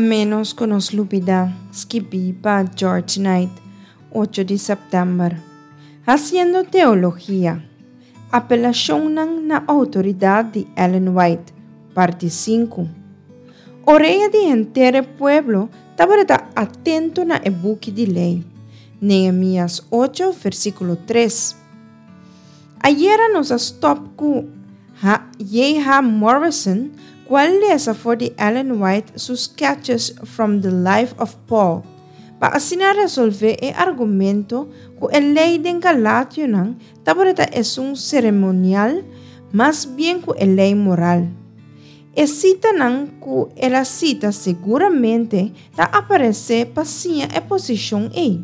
ménos ku nos lubidá, skibí pa George Knight, ocho di sèptèmber. Hasiendo teologia, Apelashonnan na outoridat di Ellen White, parti sinku. Orea di henter e pueblo tabata atento na e buki di lei. Nehemías ocho, versíkulo tres. Ayera nos a stòp ku J.H. Morrison ku a lesa for di Ellen White su Sketches from the Life of Paul pa asina resolvé e argumento ku e lei den Galationan tabata esun seremonial mas bien ku e lei moral. E sitanan ku el a sita seguramente ta aparesé pa siña e posishon ei.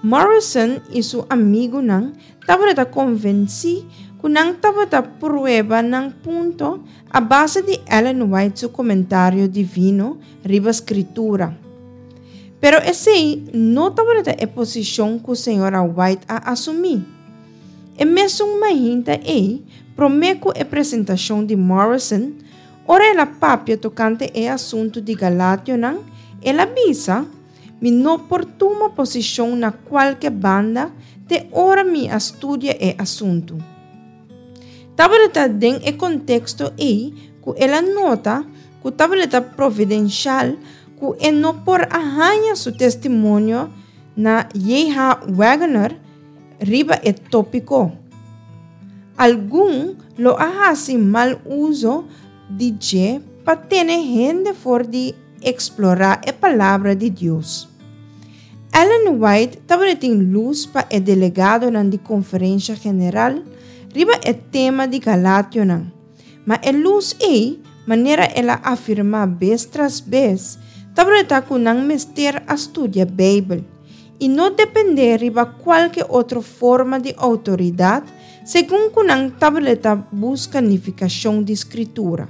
Morrison i su amigunan tabata konvensí ku nan tabata prueba nan punto a base di Ellen White su komentario divino riba Skritura. Pero esei no tabata e posishon ku señora White a asumí. E mesun mainta ei, promé ku e presentashon di Morrison, ora el a papia tokante e asuntu di Galationan, el a bisa, Mi no por tuma posishon na kualke banda te ora mi a studia e asuntu. Tabata den e konteksto ei ku el a nota ku tabata providenshal ku e no por a haña su testimonio na JH. Waggoner riba e tópiko. Algun lo a hasi mal uso di dje pa tene hende for di Eksplorá e Palabra di Dios. Ellen White tabatin lus pa e delegadonan di Konferensha General riba e tema di Galationan, ma e lus ei, manera el a afirmá bes tras bes, tabata ku nan mester a studia Beibel i no dependé riba kualke otro forma di outoridat segun ku nan tabata buska nifikashon di Skritura.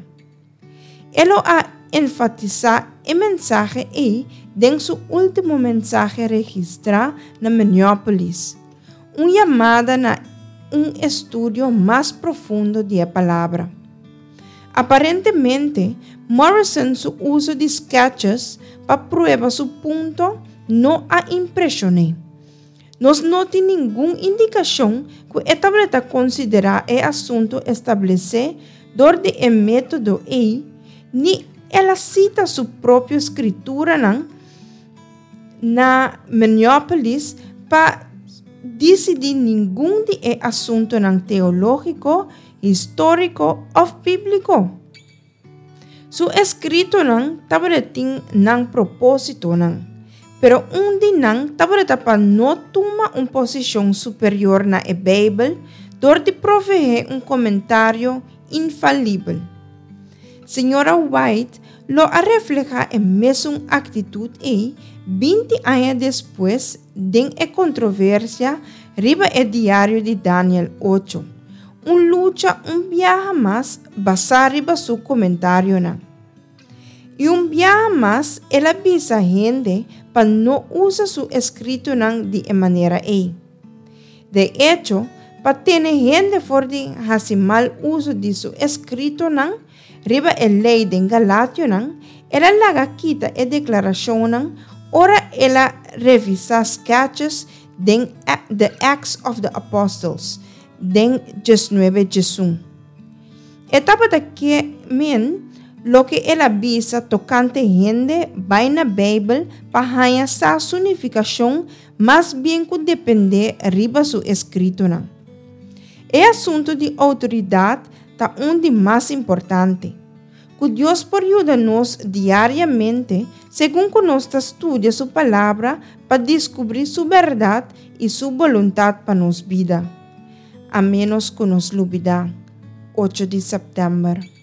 E lo a enfatisá e mensahe ei den su último mensahe registrá na Minneapolis, un yamada na un estudio mas profundo di e Palabra. Aparentemente, Morrison su uso di sketches pa prueba su punto no a impreshon'é. Nos no tin ningun indikashon ku e tabata konsiderá e asuntu establesé dor di e método ei, ni el a sita su propio skrituranan na Minneapolis pa disidí ningun di e asuntunan teológiko, históriko òf bíbliko. Su eskritonan tabata tin nan propósitonan, pero un di nan tabata pa no tuma un posishon superior na e Beibel dor di proveé un komentario infalibel. Señora White lo a reflehá e mesun aktitut ei 20 aña despues den e kontroversia riba e diario di Daniel ocho. Un lucha un biaha mas basá riba su komentarionan. I un biaha mas el a bisa hende pa no usa su eskritonan di e manera ei. De echo, pa tene hende for di hasi mal uso di su eskritonan riba e lei den Galationan, el a laga kita e deklarashonnan ora el a revisá sketches den The Acts of the Apostles, Den diesnuebe diesun. E tabata ke men loke el a bisa tokante hende bai na Beibel pa haña sa su nifikashon mas bien ku dependé riba su eskritonan. E asuntu di outoridat ta un di mas importante. Ku Dios por yuda nos diariamente segun ku nos ta studia su Palabra pa diskubrí su bèrdat i su boluntat pa nos bida. A ménos ku nos lubidá. Ocho di sèptèmber.